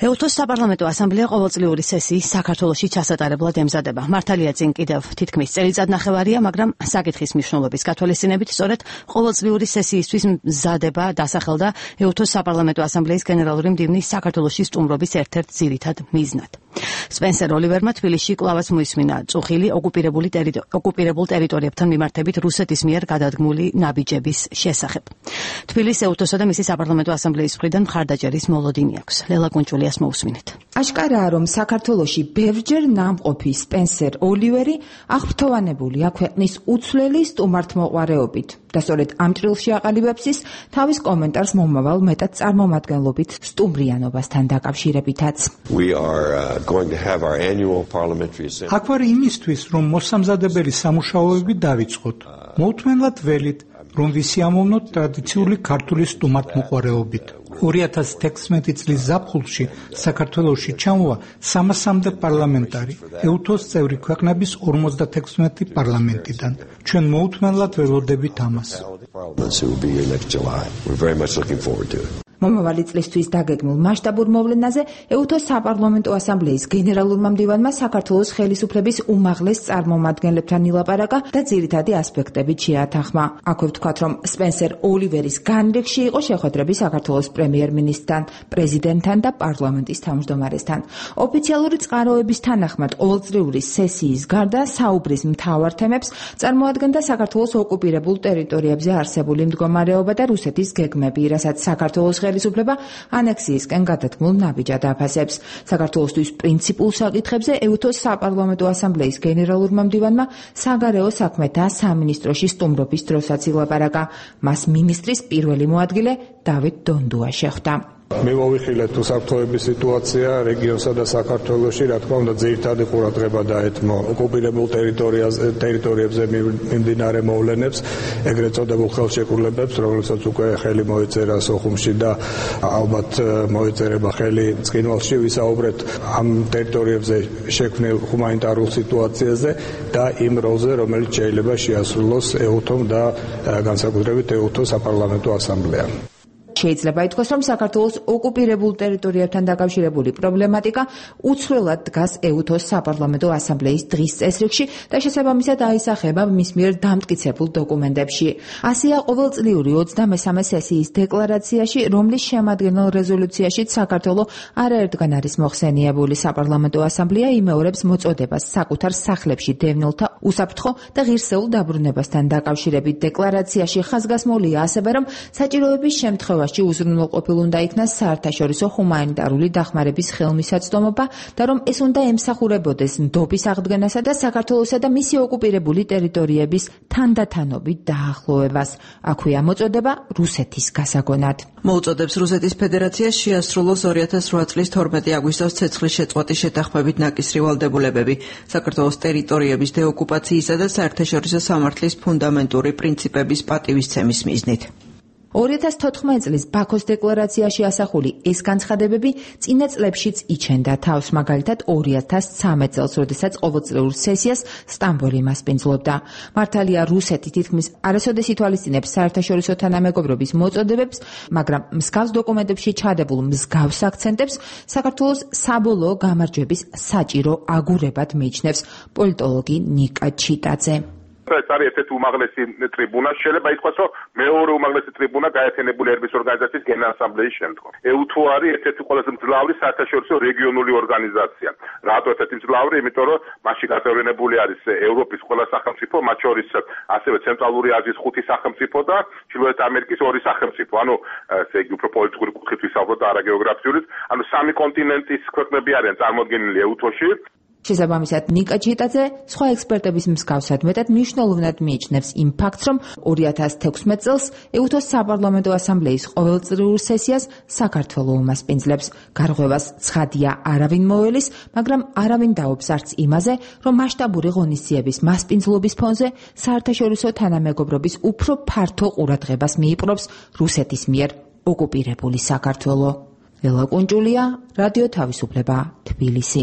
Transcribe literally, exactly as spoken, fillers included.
ეუთოს საპარლამენტო ასამბლეა ყოველწლიური სესიის საქართველოში ჩასატარებლად ემზადება. მართალია წინ კიდევ თითქმის წელიწადნახევარია, მაგრამ საკითხის მნიშვნელობის გათვალისწინებით სწორედ ყოველწლიური სესიისთვის მზადება დასახელდა ეუთოს საპარლამენტო ასამბლეის გენერალური მდივნის საქართველოში სტუმრობის ერთ-ერთ ძირითად მიზნად. სპენსერ ოლივერმა თბილისში კვლავაც მოისმინა წუხილი ოკუპირებული ოკუპირებულ ტერიტორიებთან მიმართებით რუსეთის მიერ გადადგმული ნაბიჯების შესახებ. თბილისს ეუთოსა და მისი საპარლამენტო ასამბლეის მხრიდან მხარდაჭერის მოლოდინი აქვს. ლელა კუნჭულიას მოусმინეთ. აშკარაა, რომ საქართველოში ბევრჯერ ნამყოფი სპენსერ ოლივერი აღფრთოვანებულია ქვეყნის უცვლელი სტუმართმოყვარეობით და სწორედ ამ ჭრილში აყალიბებს ის თავის კომენტარს მომავალ მეტად წარმომადგენლობით სტუმრიანობასთან დაკავშირებითაც. აქ ვარ იმისთვის, რომ მოსამზადებელი სამუშაოები დავიწყოთ. მოუთმენლად ველით, რომ ვისი ამოვნოთ ტრადიციული ქართული სტუმართმოყვარეობით. ორი ათას თექვსმეტი წლის ზაფხულში საქართველოში ჩამოვა სამასამდე პარლამენტარი ეუთოს წევრი ქვეყნების ორმოცდათექვსმეტი პარლამენტიდან. ჩვენ მოუთმენლად ველოდებით ამას. მომავალი წლისთვის დაგეგმულ მასშტაბურ მოვლენაზე ეუთოს საპარლამენტო ასამბლეის გენერალურმა მდივანმა საქართველოს ხელისუფლების უმაღლეს წარმომადგენლებთან ილაპარაკა და ძირითადი ასპექტებით შეათანხმა. აქვე ვთქვათ, რომ სპენსერ ოლივერის განრიგში იყო შეხვედრები საქართველოს პრემიერ-მინისტრთან, პრეზიდენტთან და პარლამენტის თავმჯდომარესთან. ოფიციალური წყაროების თანახმად ყოველწლიური სესიის გარდა საუბრის მთავარ თემებს წარმოადგენდა საქართველოს ოკუპირებულ ტერიტორიებზე არსებული მდგომარეობა და რუსეთის გეგმები, რასაც საქართველოს ხელისუფლება ანექსიისკენ გადადგმულ ნაბიჯად აფასებს. საქართველოსთვის პრინციპულ საკითხებზე ეუთოს საპარლამენტო ასამბლეის გენერალურმა მდივანმა საგარეო საქმეთა სამინისტროში სტუმრობის დროსაც ილაპარაკა. მას მინისტრის პირველი მოადგილე დავით დონდუა შეხვდა. მე მოვიხილეთ უსაფრთხოების სიტუაცია რეგიონსა და საქართველოში, რა თქმა უნდა, ძირითადი ყურადღება დაეთმო ოკუპირებულ ტერიტორიებზე მიმდინარე მოვლენებს, ეგრეთ წოდებულ ხელშეკრულებებს, რომლებსაც უკვე ხელი მოეწერა სოხუმში და ალბათ მოეწერება ხელი ცხინვალში, ვისაუბრეთ ამ ტერიტორიებზე შექმნილ ჰუმანიტარულ სიტუაციაზე და იმ როლზე, რომელიც შეიძლება შეასრულოს ეუთომ და განსაკუთრებით ეუთოს საპარლამენტო ასამბლეამ. შეიძლება ითქვას, რომ საქართველოს ოკუპირებულ ტერიტორიებთან დაკავშირებული პრობლემატიკა უცვლელად დგას ეუთოს საპარლამენტო ასამბლეის დღის წესრიგში და შესაბამისად აისახება მის მიერ დამტკიცებულ დოკუმენტებში. ასეა ყოველწლიური ოცდამესამე სესიის დეკლარაციაში, რომლის შემადგენელ რეზოლუციაშიც საქართველო არაერთგან არის მოხსენიებული. საპარლამენტო ასამბლეა იმეორებს მოწოდებას საკუთარ სახლებში დევნილთა უსაფრთხო და ღირსეულ დაბრუნებასთან დაკავშირებით. დეკლარაციაში ხაზგასმულია ასევე, რომ საჭიროების შემთხვევაში უზრუნველყოფილ უნდა იქნას საერთაშორისო ჰუმანიტარული დახმარების ხელმისაწვდომობა და რომ ეს უნდა ემსახურებოდეს ნდობის აღდგენასა და საქართველოსა და მისი ოკუპირებული ტერიტორიების თანდათანობით დაახლოებას. აქვეა მოწოდება რუსეთის გასაგონად. მოუწოდებს რუსეთის ფედერაციას შეასრულოს ორი ათას რვა წლის თორმეტი აგვისტოს ცეცხლის შეწყვეტის შეთანხმებით ნაკისრი ვალდებულებები საქართველოს ტერიტორიების დეოკუპაციისა და საერთაშორისო სამართლის ფუნდამენტური პრინციპების პატივისცემის მიზნით. ორი ათას თოთხმეტი წლის ბაქოს დეკლარაციაში ასახული ეს განცხადებები წინა წლებშიც იჩენდა თავს, მაგალითად ორი ათას ცხრამეტ წელს, როდესაც ყოველწლიურ სესიას სტამბოლი მასპინძლობდა. მართალია რუსეთი თითქმის არასოდეს ითვალისწინებს საერთაშორისო თანამეგობრობის მოწოდებებს, მაგრამ მსგავს დოკუმენტებში ჩადებულ მსგავს აქცენტებს საქართველოს საბოლოო გამარჯვების საჭირო აგურებად მიიჩნევს პოლიტოლოგი ნიკა ჩიტაძე. ეს არის ერთ-ერთი უმაღლესი ტრიბუნა, შეიძლება ითქვას, რომ მეორე უმაღლესი ტრიბუნა გაერთიანებული ერების ორგანიზაციის გენერალ-ასამბლეის შემდგომ. ეუთო არის ერთ-ერთი ყველაზე მძლავრი საერთაშორისო რეგიონული ორგანიზაცია. რატო ერთ-ერთი მძლავრი? იმიტომ რომ მასში გაწევრიანებული არის ევროპის ყველა სახელმწიფო, მათ შორის ასევე ცენტრალური აზიის ხუთი სახელმწიფო და ჩრდილოეთ ამერიკის ორი სახელმწიფო. ანუ ესე იგი უფრო პოლიტიკური კუთხით ვისაუბროთ და არა გეოგრაფიულით. ანუ სამი კონტინენტის ქვეყნები არიან წარმოდგენილი ეუთოში. შესაბამისად, ნიკა ჩიტაძე სხვა ექსპერტების მსგავსად მეტად მნიშვნელოვნად მიიჩნევს იმ ფაქტს, რომ ორი ათას თექვსმეტ წელს ეუთოს საპარლამენტო ასამბლეის ყოველწლიურ სესიას საქართველო უმასპინძლებს. გარღვევას ცხადია არავინ მოელის, მაგრამ არავინ დაობს არც იმაზე, რომ მასშტაბური ღონისძიების მასპინძლობის ფონზე საერთაშორისო თანამეგობრობის უფრო ფართო ყურადღებას მიიპყრობს რუსეთის მიერ ოკუპირებული საქართველო. ლელა კუნჭულია, რადიო თავისუფლება, თბილისი.